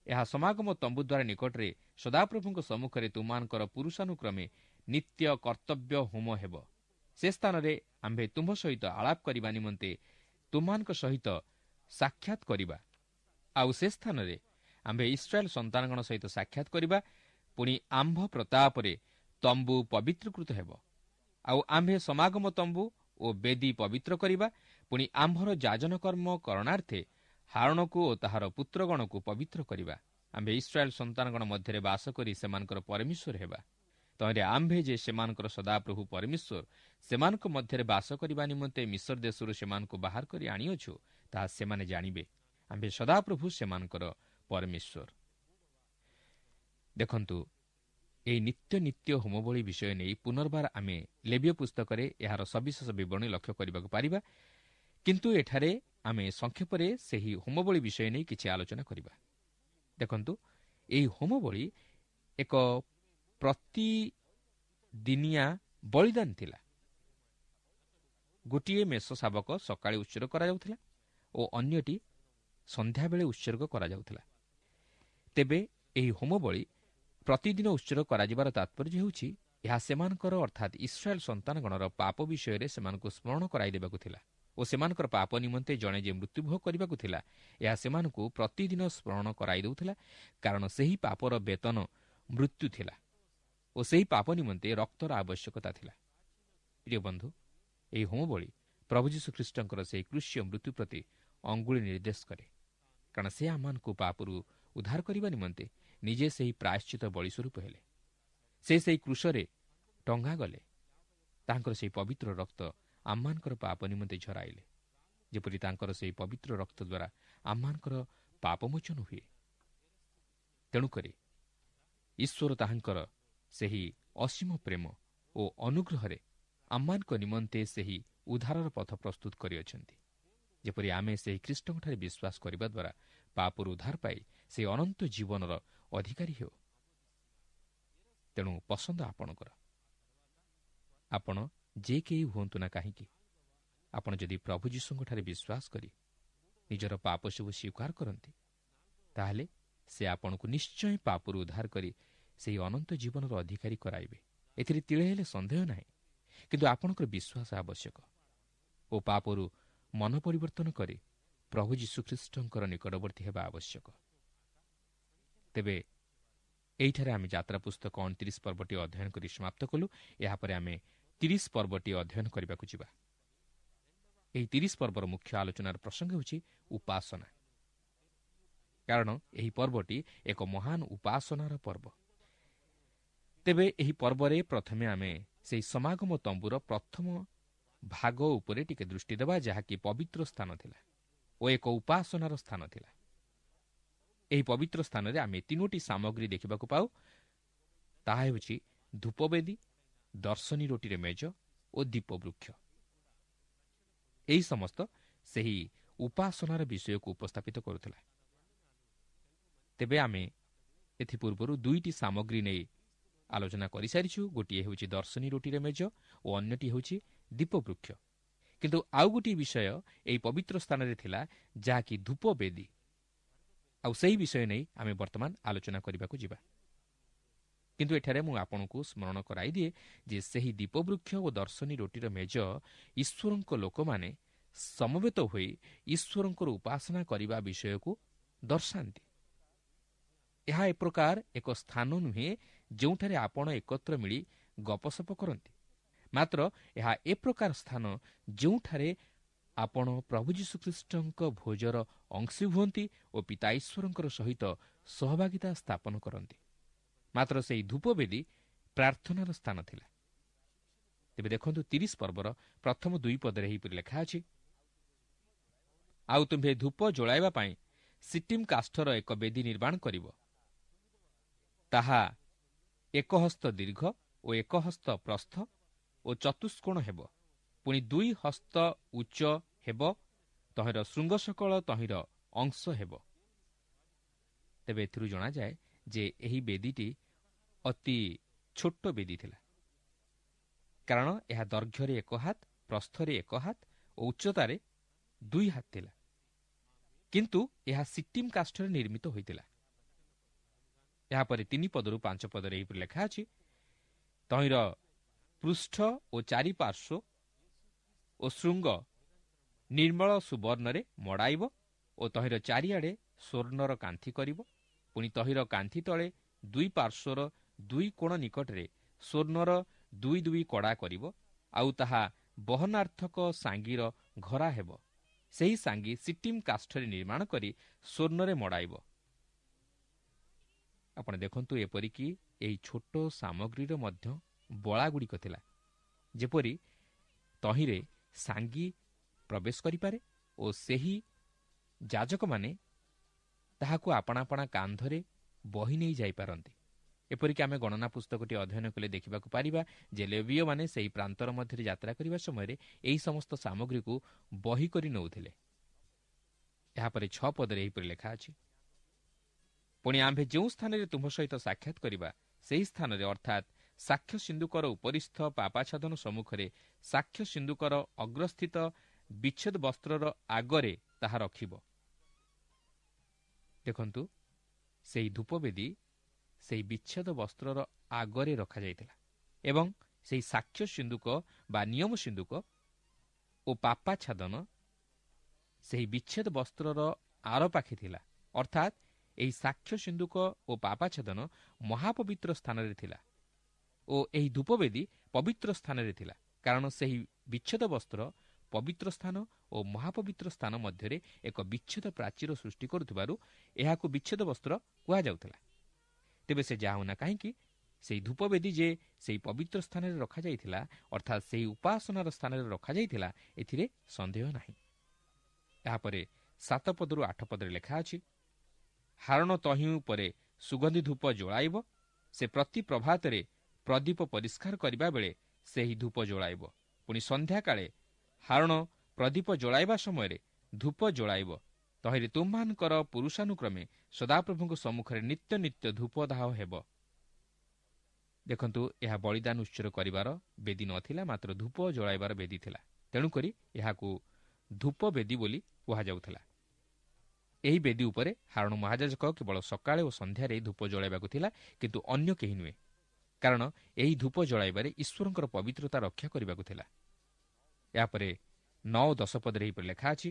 Speaker 2: ଏହା ସମାଗମ ତମ୍ବୁ ଦ୍ୱାରା ନିକଟରେ ସଦାପ୍ରଭୁଙ୍କ ସମ୍ମୁଖରେ ତୁମମାନଙ୍କର ପୁରୁଷାନୁକ୍ରମେ ନିତ୍ୟ କର୍ତ୍ତବ୍ୟ ହୋମ ହେବ। ସେ ସ୍ଥାନରେ ଆମ୍ଭେ ତୁମ୍ଭ ସହିତ ଆଳାପ କରିବା ନିମନ୍ତେ ତୁମମାନଙ୍କ ସହିତ ସାକ୍ଷାତ କରିବା। ଆଉ ସେ ସ୍ଥାନରେ ଆମ୍ଭେ ଇସ୍ରାଏଲ ସନ୍ତାନଗଣ ସହିତ ସାକ୍ଷାତ କରିବା। ପୁଣି ଆମ୍ଭ ପ୍ରତାପରେ ତମ୍ବୁ ପବିତ୍ରୀକୃତ ହେବ। ଆଉ ଆମ୍ଭେ ସମାଗମ ତମ୍ବୁ ଓ ବେଦୀ ପବିତ୍ର କରିବା। ପୁଣି ଆମ୍ଭର ଯାଜନ କର୍ମ କରଣାର୍ଥେ ହାରଣକୁ ଓ ତାହାର ପୁତ୍ରଗଣକୁ ପବିତ୍ର କରିବା। ଆମ୍ଭେ ଇସ୍ରାଏଲ ସନ୍ତାନଗଣ ମଧ୍ୟରେ ବାସ କରି ସେମାନଙ୍କର ପରମେଶ୍ୱର ହେବା। ତହିଁରେ ଆମ୍ଭେ ଯେ ସେମାନଙ୍କର ସଦାପ୍ରଭୁ ପରମେଶ୍ୱର, ସେମାନଙ୍କ ମଧ୍ୟରେ ବାସ କରିବା ନିମନ୍ତେ ମିଶର ଦେଶରୁ ସେମାନଙ୍କୁ ବାହାର କରି ଆଣିଅଛୁ, ତାହା ସେମାନେ ଜାଣିବେ। ଆମ୍ଭେ ସଦାପ୍ରଭୁ ସେମାନଙ୍କର ପରମେଶ୍ୱର। ଦେଖନ୍ତୁ, ଏହି ନିତ୍ୟ ନିତ୍ୟ ହୋମବଳି ବିଷୟ ନେଇ ପୁନର୍ବାର ଆମେ ଲେବୀୟ ପୁସ୍ତକରେ ଏହାର ସବିଶେଷ ବିବରଣୀ ଲକ୍ଷ୍ୟ କରିବାକୁ ପାରିବା, କିନ୍ତୁ ଏଠାରେ ଆମେ ସଂକ୍ଷେପରେ ସେହି ହୋମବଳି ବିଷୟ ନେଇ କିଛି ଆଲୋଚନା କରିବା। ଦେଖନ୍ତୁ, ଏହି ହୋମବଳି ଏକ ପ୍ରତିଦିନିଆ ବଳିଦାନ ଥିଲା। ଗୋଟିଏ ମେଷ ଶାବକ ସକାଳେ ଉତ୍ସର୍ଗ କରାଯାଉଥିଲା ଓ ଅନ୍ୟଟି ସନ୍ଧ୍ୟାବେଳେ ଉତ୍ସର୍ଗ କରାଯାଉଥିଲା। ତେବେ ଏହି ହୋମବଳି ପ୍ରତିଦିନ ଉତ୍ସର୍ଗ କରାଯିବାର ତାତ୍ପର୍ଯ୍ୟ ହେଉଛି ଏହା ସେମାନଙ୍କର ଅର୍ଥାତ୍ ଇସ୍ରାଏଲ ସନ୍ତାନଗଣର ପାପ ବିଷୟରେ ସେମାନଙ୍କୁ ସ୍ମରଣ କରାଇଦେବାକୁ ଥିଲା ଓ ସେମାନଙ୍କର ପାପ ନିମନ୍ତେ ଜଣେ ଯେ ମୃତ୍ୟୁଭୋଗ କରିବାକୁ ଥିଲା, ଏହା ସେମାନଙ୍କୁ ପ୍ରତିଦିନ ସ୍ମରଣ କରାଇ ଦେଉଥିଲା, କାରଣ ସେହି ପାପର ବେତନ ମୃତ୍ୟୁ ଥିଲା ଓ ସେହି ପାପ ନିମନ୍ତେ ରକ୍ତର ଆବଶ୍ୟକତା ଥିଲା। ପ୍ରିୟ ବନ୍ଧୁ, ଏହି ହୋମବଳି ପ୍ରଭୁ ଯୀଶୁଖ୍ରୀଷ୍ଟଙ୍କର ସେହି କୃଷ୍ୟ ମୃତ୍ୟୁ ପ୍ରତି ଅଙ୍ଗୁଳି ନିର୍ଦ୍ଦେଶ କରେ, କାରଣ ସେ ଆମମାନଙ୍କୁ ପାପରୁ ଉଦ୍ଧାର କରିବା ନିମନ୍ତେ ନିଜେ ସେହି ପ୍ରାୟଶ୍ଚିତ ବଳି ସ୍ୱରୂପ ହେଲେ। ସେ ସେହି କୃଷରେ ଟଙ୍ଗା ଗଲେ, ତାଙ୍କର ସେହି ପବିତ୍ର ରକ୍ତ ଆମମାନଙ୍କର ପାପ ନିମନ୍ତେ ଝରାଇଲେ, ଯେପରି ତାଙ୍କର ସେହି ପବିତ୍ର ରକ୍ତ ଦ୍ୱାରା ଆମମାନଙ୍କର ପାପମୋଚନ ହୁଏ। ତେଣୁକରି ଈଶ୍ୱର ତାହାଙ୍କର ସେହି ଅସୀମ ପ୍ରେମ ଓ ଅନୁଗ୍ରହରେ ଆମମାନଙ୍କ ନିମନ୍ତେ ସେହି ଉଦ୍ଧାରର ପଥ ପ୍ରସ୍ତୁତ କରିଅଛନ୍ତି, ଯେପରି ଆମେ ସେହି ଖ୍ରୀଷ୍ଟଙ୍କଠାରେ ବିଶ୍ୱାସ କରିବା ଦ୍ୱାରା ପାପରୁ ଉଦ୍ଧାର ପାଇ ସେହି ଅନନ୍ତ ଜୀବନର ଅଧିକାରୀ ହେଉ। ତେଣୁ ପସନ୍ଦ ଆପଣଙ୍କର। ଆପଣ ଯେ କେହି ହୁଅନ୍ତୁ ନା କାହିଁକି, ଆପଣ ଯଦି ପ୍ରଭୁ ଯୀଶୁଙ୍କଠାରେ ବିଶ୍ୱାସ କରି ନିଜର ପାପ ସବୁ ସ୍ୱୀକାର କରନ୍ତି, ତାହେଲେ ସେ ଆପଣଙ୍କୁ ନିଶ୍ଚୟ ପାପରୁ ଉଦ୍ଧାର କରି ସେହି ଅନନ୍ତ ଜୀବନର ଅଧିକାରୀ କରାଇବେ, ଏଥିରେ ତିଳେ ହେଲେ ସନ୍ଦେହ ନାହିଁ। କିନ୍ତୁ ଆପଣଙ୍କର ବିଶ୍ୱାସ ଆବଶ୍ୟକ ଓ ପାପରୁ ମନ ପରିବର୍ତ୍ତନ କରି ପ୍ରଭୁ ଯୀଶୁଖ୍ରୀଷ୍ଟଙ୍କର ନିକଟବର୍ତ୍ତୀ ହେବା ଆବଶ୍ୟକ। ତେବେ ଏହିଠାରେ ଆମେ ଯାତ୍ରା ପୁସ୍ତକ 29 ପର୍ବଟି ଅଧ୍ୟୟନ କରି ସମାପ୍ତ କଲୁ। ଏହାପରେ ଆମେ 30 ପର୍ବଟି ଅଧ୍ୟୟନ କରିବାକୁ ଯିବା। ଏହି 30 ପର୍ବର ମୁଖ୍ୟ ଆଲୋଚନାର ପ୍ରସଙ୍ଗ ହେଉଛି ଉପାସନା, କାରଣ ଏହି ପର୍ବଟି ଏକ ମହାନ ଉପାସନାର ପର୍ବ। ତେବେ ଏହି ପର୍ବରେ ପ୍ରଥମେ ଆମେ ସେହି ସମାଗମ ତମ୍ବୁର ପ୍ରଥମ ଭାଗ ଉପରେ ଟିକେ ଦୃଷ୍ଟି ଦେବା, ଯାହାକି ପବିତ୍ର ସ୍ଥାନ ଥିଲା ଓ ଏକ ଉପାସନାର ସ୍ଥାନ ଥିଲା। ଏହି ପବିତ୍ର ସ୍ଥାନରେ ଆମେ 3ଟି ସାମଗ୍ରୀ ଦେଖିବାକୁ ପାଉ। ତାହା ହେଉଛି ଧୂପବେଦୀ, ଦର୍ଶନୀ ରୋଟିରେ ମେଜ ଓ ଦୀପବୃକ୍ଷ। ଏହି ସମସ୍ତ ସେହି ଉପାସନାର ବିଷୟକୁ ଉପସ୍ଥାପିତ କରୁଥିଲା। ତେବେ ଆମେ ଏଥିପୂର୍ବରୁ 2ଟି ସାମଗ୍ରୀ ନେଇ ଆଲୋଚନା କରିସାରିଛୁ। ଗୋଟିଏ ହେଉଛି ଦର୍ଶନୀ ରୋଟିରେ ମେଜ ଓ ଅନ୍ୟଟି ହେଉଛି ଦୀପବୃକ୍ଷ। କିନ୍ତୁ ଆଉ ଗୋଟିଏ ବିଷୟ ଏହି ପବିତ୍ର ସ୍ଥାନରେ ଥିଲା, ଯାହାକି ଧୂପବେଦୀ। ଆଉ ସେହି ବିଷୟ ନେଇ ଆମେ ବର୍ତ୍ତମାନ ଆଲୋଚନା କରିବାକୁ ଯିବା। କିନ୍ତୁ ଏଠାରେ ମୁଁ ଆପଣଙ୍କୁ ସ୍ମରଣ କରାଇଦିଏ ଯେ ସେହି ଦୀପବୃକ୍ଷ ଓ ଦର୍ଶନୀ ରୋଟିର ମେଜ ଈଶ୍ୱରଙ୍କ ଲୋକମାନେ ସମବେତ ହୋଇ ଈଶ୍ୱରଙ୍କର ଉପାସନା କରିବା ବିଷୟକୁ ଦର୍ଶାନ୍ତି। ଏହା ଏ ପ୍ରକାର ଏକ ସ୍ଥାନ ନୁହେଁ ଯେଉଁଠାରେ ଆପଣ ଏକତ୍ର ମିଳି ଗପସପ କରନ୍ତି, ମାତ୍ର ଏହା ଏ ପ୍ରକାର ସ୍ଥାନ ଯେଉଁଠାରେ ଆପଣ ପ୍ରଭୁ ଯୀଶୁଖ୍ରୀଷ୍ଟଙ୍କ ଭୋଜର ଅଂଶୀ ହୁଅନ୍ତି ଓ ପିତା ଈଶ୍ୱରଙ୍କର ସହିତ ସହଭାଗିତା ସ୍ଥାପନ କରନ୍ତି। ମାତ୍ର ସେହି ଧୂପବେଦୀ ପ୍ରାର୍ଥନାର ସ୍ଥାନ ଥିଲା। ତେବେ ଦେଖନ୍ତୁ 30 ପର୍ବର ପ୍ରଥମ 2 ପଦରେ ଏହିପରି ଲେଖା ଅଛି, ଆଉ ତୁମ୍ଭେ ଧୂପ ଜଳାଇବା ପାଇଁ ସିଟିମ୍ କାଷ୍ଠର ଏକ ବେଦୀ ନିର୍ମାଣ କରିବ। ତାହା 1 ହସ୍ତ ଦୀର୍ଘ ଓ 1 ହସ୍ତ ପ୍ରସ୍ଥ ଓ ଚତୁଷ୍କୋଣ ହେବ, ପୁଣି 2 ହସ୍ତ ଉଚ୍ଚ ହେବ। ତହିଁର ଶୃଙ୍ଗ ସକଳ ତହିଁର ଅଂଶ ହେବ। ତେବେ ଏଥିରୁ ଜଣାଯାଏ ଯେ ଏହି ବେଦୀଟି ଅତି ଛୋଟ ବେଦୀ ଥିଲା, କାରଣ ଏହା ଦୈର୍ଘ୍ୟରେ 1 ହାତ, ପ୍ରସ୍ଥରେ 1 ହାତ ଓ ଉଚ୍ଚତାରେ 2 ହାତ ଥିଲା। କିନ୍ତୁ ଏହା ସିଟିମ୍ କାଷ୍ଠରେ ନିର୍ମିତ ହୋଇଥିଲା। ଏହାପରେ 3 ପଦରୁ 5 ପଦରେ ଏହିପରି ଲେଖା ଅଛି, ତହିଁର ପୃଷ୍ଠ ଓ ଚାରିପାର୍ଶ୍ୱ ଓ ଶୃଙ୍ଗ ନିର୍ମଳ ସୁବର୍ଣ୍ଣରେ ମଡ଼ାଇବ ଓ ତହିଁର ଚାରିଆଡ଼େ ସ୍ୱର୍ଣ୍ଣର କାନ୍ଥି କରିବ। ପୁଣି ତହିଁର କାନ୍ଥି ତଳେ 2 ପାର୍ଶ୍ୱର 2 କୋଣ ନିକଟରେ ସ୍ୱର୍ଣ୍ଣର 2 2 କଡ଼ା କରିବ, ଆଉ ତାହା ବହନାର୍ଥକ ସାଙ୍ଗୀର ଘରା ହେବ। ସେହି ସାଙ୍ଗୀ ସିଟିମ୍ କାଷ୍ଠରେ ନିର୍ମାଣ କରି ସ୍ୱର୍ଣ୍ଣରେ ମଡ଼ାଇବ। ଆପଣ ଦେଖନ୍ତୁ, ଏପରିକି ଏହି ଛୋଟ ସାମଗ୍ରୀର ମଧ୍ୟ ବଳାଗୁଡ଼ିକ ଥିଲା, ଯେପରି ତହିଁରେ ସାଙ୍ଗୀ ପ୍ରବେଶ କରିପାରେ ଓ ସେହି ଯାଜକମାନେ ତାହାକୁ ଆପଣା ଆପଣା କାନ୍ଧରେ ବହି ନେଇ ଯାଇପାରନ୍ତି। ଏପରିକି ଆମେ ଗଣନା ପୁସ୍ତକଟି ଅଧ୍ୟୟନ କଲେ ଦେଖିବାକୁ ପାରିବା ଯେ ଲେବୀୟମାନେ ସେହି ପ୍ରାନ୍ତର ମଧ୍ୟରେ ଯାତ୍ରା କରିବା ସମୟରେ ଏହି ସମସ୍ତ ସାମଗ୍ରୀକୁ ବହି କରି ନେଉଥିଲେ। ଏହାପରେ 6 ପଦରେ ଏହିପରି ଲେଖା ଅଛି, ପୁଣି ଆମ୍ଭେ ଯେଉଁ ସ୍ଥାନରେ ତୁମ୍ଭ ସହିତ ସାକ୍ଷାତ କରିବା ସେହି ସ୍ଥାନରେ, ଅର୍ଥାତ୍ ସାକ୍ଷ୍ୟ ସିନ୍ଦୁକର ଉପରିସ୍ଥ ପାପାଚ୍ଛାଦନ ସମ୍ମୁଖରେ ସାକ୍ଷ୍ୟ ସିନ୍ଦୁକର ଅଗ୍ରସ୍ଥିତ ବିଚ୍ଛେଦ ବସ୍ତ୍ରର ଆଗରେ ତାହା ରଖିବ। ଦେଖନ୍ତୁ, ସେହି ଧୂପବେଦୀ ସେହି ବିଚ୍ଛେଦ ବସ୍ତ୍ରର ଆଗରେ ରଖାଯାଇଥିଲା ଏବଂ ସେହି ସାକ୍ଷ୍ୟ ସିନ୍ଦୁକ ବା ନିୟମ ସିନ୍ଦୁକ ଓ ପାପାଚ୍ଛାଦନ ସେହି ବିଚ୍ଛେଦ ବସ୍ତ୍ରର ଆର ପାଖେ ଥିଲା। ଅର୍ଥାତ୍ ଏହି ସାକ୍ଷ୍ୟ ସିନ୍ଦୁକ ଓ ପାପାଚ୍ଛାଦନ ମହାପବିତ୍ର ସ୍ଥାନରେ ଥିଲା ଓ ଏହି ଧୂପବେଦୀ ପବିତ୍ର ସ୍ଥାନରେ ଥିଲା, କାରଣ ସେହି ବିଚ୍ଛେଦ ବସ୍ତ୍ର ପବିତ୍ର ସ୍ଥାନ ଓ ମହାପବିତ୍ର ସ୍ଥାନ ମଧ୍ୟରେ ଏକ ବିଚ୍ଛେଦ ପ୍ରାଚୀର ସୃଷ୍ଟି କରୁଥିବାରୁ ଏହାକୁ ବିଚ୍ଛେଦ ବସ୍ତ୍ର କୁହାଯାଉଥିଲା। ତେବେ ସେ ଯାହା ହେଉନା କାହିଁକି, ସେହି ଧୂପବେଦୀ ଯେ ସେହି ପବିତ୍ର ସ୍ଥାନରେ ରଖାଯାଇଥିଲା, ଅର୍ଥାତ୍ ସେହି ଉପାସନାର ସ୍ଥାନରେ ରଖାଯାଇଥିଲା, ଏଥିରେ ସନ୍ଦେହ ନାହିଁ। ଏହାପରେ 7 ପଦରୁ 8 ପଦରେ ଲେଖା ଅଛି, ହାରଣ ତହିଁ ଉପରେ ସୁଗନ୍ଧି ଧୂପ ଜଳାଇବ। ସେ ପ୍ରତି ପ୍ରଭାତରେ ପ୍ରଦୀପ ପରିଷ୍କାର କରିବା ବେଳେ ସେହି ଧୂପ ଜଳାଇବ। ପୁଣି ସନ୍ଧ୍ୟାକାଳେ ହାରଣ ପ୍ରଦୀପ ଜଳାଇବା ସମୟରେ ଧୂପ ଜଳାଇବ। ତହିଁରେ ତୁମ୍ଭମାନଙ୍କର ପୁରୁଷାନୁକ୍ରମେ ସଦାପ୍ରଭୁଙ୍କ ସମ୍ମୁଖରେ ନିତ୍ୟ ନିତ୍ୟ ଧୂପଦାହ ହେବ। ଦେଖନ୍ତୁ, ଏହା ବଳିଦାନ ଉତ୍ସର୍ଗ କରିବାର ବେଦୀ ନଥିଲା, ମାତ୍ର ଧୂପ ଜଳାଇବାର ବେଦୀ ଥିଲା। ତେଣୁକରି ଏହାକୁ ଧୂପ ବେଦୀ ବୋଲି କୁହାଯାଉଥିଲା। ଏହି ବେଦୀ ଉପରେ ହାରଣ ମହାଯାଜକ କେବଳ ସକାଳେ ଓ ସନ୍ଧ୍ୟାରେ ଧୂପ ଜଳାଇବାକୁ ଥିଲା, କିନ୍ତୁ ଅନ୍ୟ କେହି ନୁହେଁ, କାରଣ ଏହି ଧୂପ ଜଳାଇବାରେ ଈଶ୍ୱରଙ୍କର ପବିତ୍ରତା ରକ୍ଷା କରିବାକୁ ଥିଲା। ଏହାପରେ 9 ଓ 10 ପଦରେ ଏହିପରି ଲେଖା ଅଛି,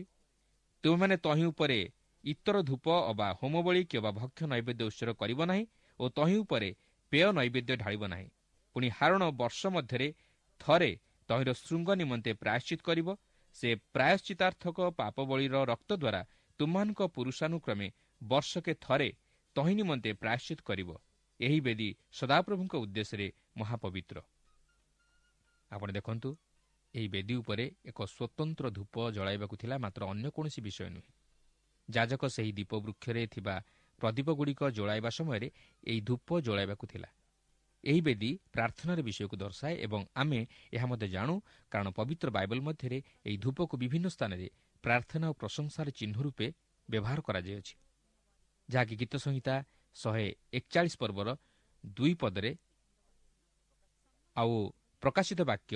Speaker 2: ତୁମେମାନେ ତହିଁ ଉପରେ ଇତର ଧୂପ ଅବା ହୋମବଳି କିମ୍ବା ଭକ୍ଷ୍ୟ ନୈବେଦ୍ୟ ଉତ୍ସର୍ଗ କରିବ ନାହିଁ ଓ ତହିଁ ଉପରେ ପେୟ ନୈବେଦ୍ୟ ଢାଳିବ ନାହିଁ। ପୁଣି ହାରଣ ବର୍ଷ ମଧ୍ୟରେ ଥରେ ତହିଁର ଶୃଙ୍ଗ ନିମନ୍ତେ ପ୍ରାୟଶ୍ଚିତ କରିବ। ସେ ପ୍ରାୟଶ୍ଚିତାର୍ଥକ ପାପବଳିର ରକ୍ତ ଦ୍ୱାରା ତୁମମାନଙ୍କ ପୁରୁଷାନୁକ୍ରମେ ବର୍ଷକେ ଥରେ ତହିଁ ନିମନ୍ତେ ପ୍ରାୟଶ୍ଚିତ କରିବ। ଏହି ବେଦୀ ସଦାପ୍ରଭୁଙ୍କ ଉଦ୍ଦେଶ୍ୟରେ ମହାପବିତ୍ର। ଆପଣ ଦେଖନ୍ତୁ, ଏହି ବେଦୀ ଉପରେ ଏକ ସ୍ୱତନ୍ତ୍ର ଧୂପ ଜଳାଇବାକୁ ଥିଲା, ମାତ୍ର ଅନ୍ୟ କୌଣସି ବିଷୟ ନୁହେଁ। ଯାଜକ ସେହି ଦୀପ ବୃକ୍ଷରେ ଥିବା ପ୍ରଦୀପଗୁଡ଼ିକ ଜଳାଇବା ସମୟରେ ଏହି ଧୂପ ଜଳାଇବାକୁ ଥିଲା। ଏହି ବେଦୀ ପ୍ରାର୍ଥନାର ବିଷୟକୁ ଦର୍ଶାଏ ଏବଂ ଆମେ ଏହା ମଧ୍ୟ ଜାଣୁ, କାରଣ ପବିତ୍ର ବାଇବଲ ମଧ୍ୟରେ ଏହି ଧୂପକୁ ବିଭିନ୍ନ ସ୍ଥାନରେ ପ୍ରାର୍ଥନା ଓ ପ୍ରଶଂସାର ଚିହ୍ନ ରୂପେ ବ୍ୟବହାର କରାଯାଇଅଛି, ଯାହାକି ଗୀତ ସଂହିତା 141 ପର୍ବର 2 ପଦରେ ଆଉ ପ୍ରକାଶିତ ବାକ୍ୟ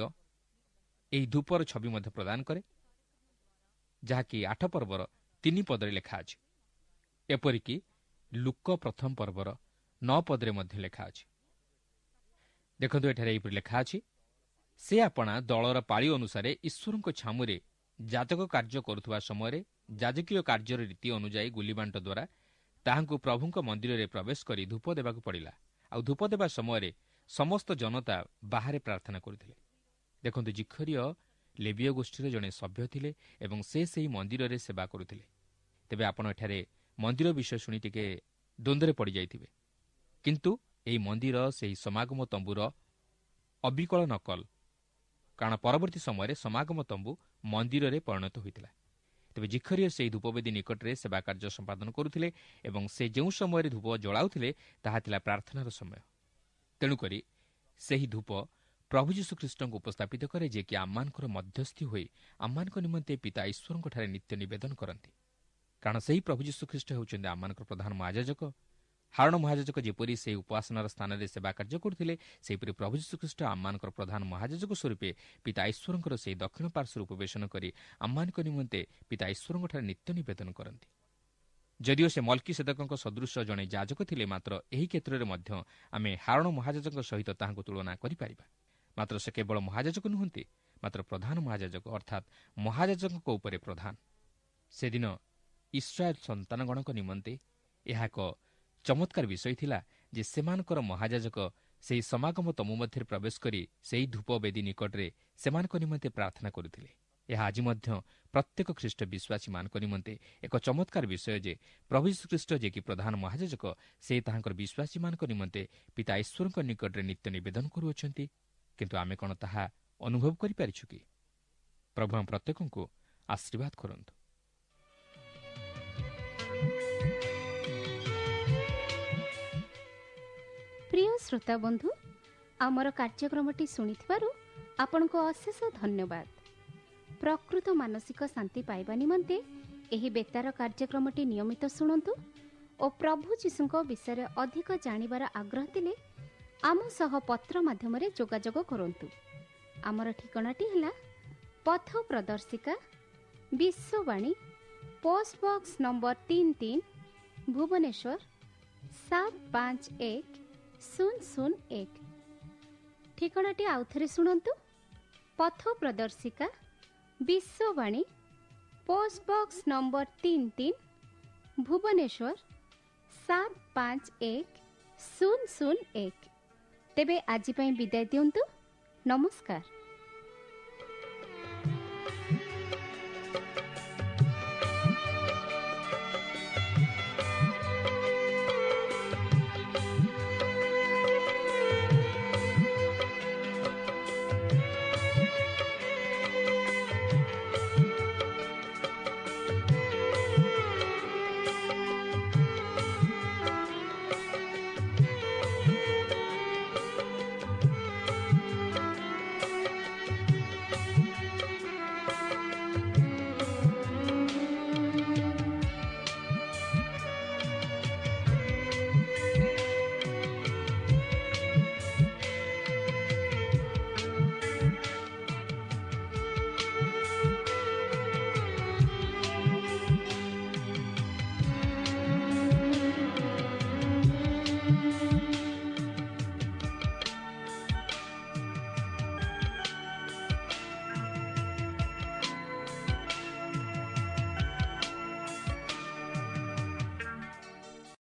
Speaker 2: ଏହି ଧୂପର ଛବି ମଧ୍ୟ ପ୍ରଦାନ କରେ, ଯାହାକି 8 ପର୍ବର 3 ପଦରେ ଲେଖା ଅଛି। ଏପରିକି ଲୁକ 1 ପର୍ବର 9 ପଦରେ ମଧ୍ୟ ଲେଖା ଅଛି। ଦେଖନ୍ତୁ, ଏଠାରେ ଏହିପରି ଲେଖା ଅଛି, ସେ ଆପଣା ଦଳର ପାଳି ଅନୁସାରେ ଈଶ୍ୱରଙ୍କ ଛାମୁରେ ଯାଜକ କାର୍ଯ୍ୟ କରୁଥିବା ସମୟରେ ଯାଜକୀୟ କାର୍ଯ୍ୟର ରୀତି ଅନୁଯାୟୀ ଗୁଲିବାଣ୍ଟ ଦ୍ୱାରା ତାହାଙ୍କୁ ପ୍ରଭୁଙ୍କ ମନ୍ଦିରରେ ପ୍ରବେଶ କରି ଧୂପ ଦେବାକୁ ପଡ଼ିଲା। ଆଉ ଧୂପ ଦେବା ସମୟରେ ସମସ୍ତ ଜନତା ବାହାରେ ପ୍ରାର୍ଥନା କରୁଥିଲେ। ଦେଖନ୍ତୁ, ଜିଖରିୟ ଲେବୀୟ ଗୋଷ୍ଠୀର ଜଣେ ସଭ୍ୟ ଥିଲେ ଏବଂ ସେ ସେହି ମନ୍ଦିରରେ ସେବା କରୁଥିଲେ। ତେବେ ଆପଣ ଏଠାରେ ମନ୍ଦିର ବିଷୟ ଶୁଣି ଟିକେ ଦ୍ୱନ୍ଦ୍ୱରେ ପଡ଼ିଯାଇଥିବେ, କିନ୍ତୁ ଏହି ମନ୍ଦିର ସେହି ସମାଗମ ତମ୍ବୁର ଅବିକଳ ନକଲ, କାରଣ ପରବର୍ତ୍ତୀ ସମୟରେ ସମାଗମ ତମ୍ବୁ ମନ୍ଦିରରେ ପରିଣତ ହୋଇଥିଲା। ତେବେ ଜିଖରିୟ ସେହି ଧୂପବେଦୀ ନିକଟରେ ସେବା କାର୍ଯ୍ୟ ସମ୍ପାଦନ କରୁଥିଲେ ଏବଂ ସେ ଯେଉଁ ସମୟରେ ଧୂପ ଜଳାଉଥିଲେ ତାହା ଥିଲା ପ୍ରାର୍ଥନାର ସମୟ। ତେଣୁକରି ସେହି ଧୂପ ପ୍ରଭୁ ଯୀଶୁଖ୍ରୀଷ୍ଟଙ୍କୁ ଉପସ୍ଥାପିତ କରେ, ଯିଏକି ଆମମାନଙ୍କର ମଧ୍ୟସ୍ଥି ହୋଇ ଆମମାନଙ୍କ ନିମନ୍ତେ ପିତା ଈଶ୍ୱରଙ୍କଠାରେ ନିତ୍ୟ ନିବେଦନ କରନ୍ତି। କାରଣ ସେହି ପ୍ରଭୁ ଯୀଶୁଖ୍ରୀଷ୍ଟ ହେଉଛନ୍ତି ଆମମାନଙ୍କର ପ୍ରଧାନ ମହାଯାଜକ। ହାରଣ ମହାଯାଜକ ଯେପରି ସେହି ଉପାସନାର ସ୍ଥାନରେ ସେବା କାର୍ଯ୍ୟ କରୁଥିଲେ, ସେହିପରି ପ୍ରଭୁ ଯୀଶୁଖ୍ରୀଷ୍ଟ ଆମମାନଙ୍କର ପ୍ରଧାନ ମହାଯାଜକ ସ୍ୱରୂପେ ପିତା ଈଶ୍ୱରଙ୍କର ସେହି ଦକ୍ଷିଣ ପାର୍ଶ୍ୱରୁ ଉପବେଶନ କରି ଆମମାନଙ୍କ ନିମନ୍ତେ ପିତା ଈଶ୍ୱରଙ୍କଠାରେ ନିତ୍ୟ ନିବେଦନ କରନ୍ତି। ଯଦିଓ ସେ ମଲ୍କିସେଦକଙ୍କ ସଦୃଶ ଜଣେ ଯାଜକ ଥିଲେ, ମାତ୍ର ଏହି କ୍ଷେତ୍ରରେ ମଧ୍ୟ ଆମେ ହାରଣ ମହାଯାଜକଙ୍କ ସହିତ ତାହାଙ୍କୁ ତୁଳନା କରିପାରିବା। ମାତ୍ର ସେ କେବଳ ମହାଯାଜକ ନୁହନ୍ତି, ମାତ୍ର ପ୍ରଧାନ ମହାଯାଜକ, ଅର୍ଥାତ୍ ମହାଯାଜକଙ୍କ ଉପରେ ପ୍ରଧାନ। ସେଦିନ ଇସ୍ରାଏଲ ସନ୍ତାନଗଣଙ୍କ ନିମନ୍ତେ ଏହା ଏକ ଚମତ୍କାର ବିଷୟ ଥିଲା ଯେ ସେମାନଙ୍କର ମହାଯାଜକ ସେହି ସମାଗମ ତମ୍ବୁ ମଧ୍ୟରେ ପ୍ରବେଶ କରି ସେହି ଧୂପ ବେଦୀ ନିକଟରେ ସେମାନଙ୍କ ନିମନ୍ତେ ପ୍ରାର୍ଥନା କରୁଥିଲେ। ଏହା ଆଜି ମଧ୍ୟ ପ୍ରତ୍ୟେକ ଖ୍ରୀଷ୍ଟ ବିଶ୍ୱାସୀମାନଙ୍କ ନିମନ୍ତେ ଏକ ଚମତ୍କାର ବିଷୟ ଯେ ପ୍ରଭୁ ଯୀଶୁଖ୍ରୀଷ୍ଟ, ଯିଏକି ପ୍ରଧାନ ମହାଯାଜକ, ସେ ତାହାଙ୍କର ବିଶ୍ୱାସୀମାନଙ୍କ ନିମନ୍ତେ ପିତା ଈଶ୍ୱରଙ୍କ ନିକଟରେ ନିତ୍ୟ ନିବେଦନ କରୁଅଛନ୍ତି। କିନ୍ତୁ ଆମେ କ'ଣ ତାହା ଅନୁଭବ କରିପାରିଛୁ କି? ପ୍ରଭୁ ଆମ ପ୍ରତ୍ୟେକଙ୍କୁ ଆଶୀର୍ବାଦ କରନ୍ତୁ।
Speaker 3: ପ୍ରିୟ ଶ୍ରୋତା ବନ୍ଧୁ, ଆମର କାର୍ଯ୍ୟକ୍ରମଟି ଶୁଣିଥିବାରୁ ଆପଣଙ୍କୁ ଅଶେଷ ଧନ୍ୟବାଦ। ପ୍ରକୃତ ମାନସିକ ଶାନ୍ତି ପାଇବା ନିମନ୍ତେ ଏହି ବେତାର କାର୍ଯ୍ୟକ୍ରମଟି ନିୟମିତ ଶୁଣନ୍ତୁ ଓ ପ୍ରଭୁ ଯୀଶୁଙ୍କ ବିଷୟରେ ଅଧିକ ଜାଣିବାର ଆଗ୍ରହ ଥିଲେ ଆମ ସହ ପତ୍ର ମାଧ୍ୟମରେ ଯୋଗାଯୋଗ କରନ୍ତୁ। ଆମର ଠିକଣାଟି ହେଲା ପଥ ପ୍ରଦର୍ଶିକା, Vishwavani, post box number 33, Bhubaneswar 751001। ଠିକଣାଟି ଆଉଥରେ ଶୁଣନ୍ତୁ, ପଥ ପ୍ରଦର୍ଶିକା, Vishwavani, post box number 33, Bhubaneswar 751001। ତେବେ ଆଜି ପାଇଁ ବିଦାୟ ଦିଅନ୍ତୁ। ନମସ୍କାର।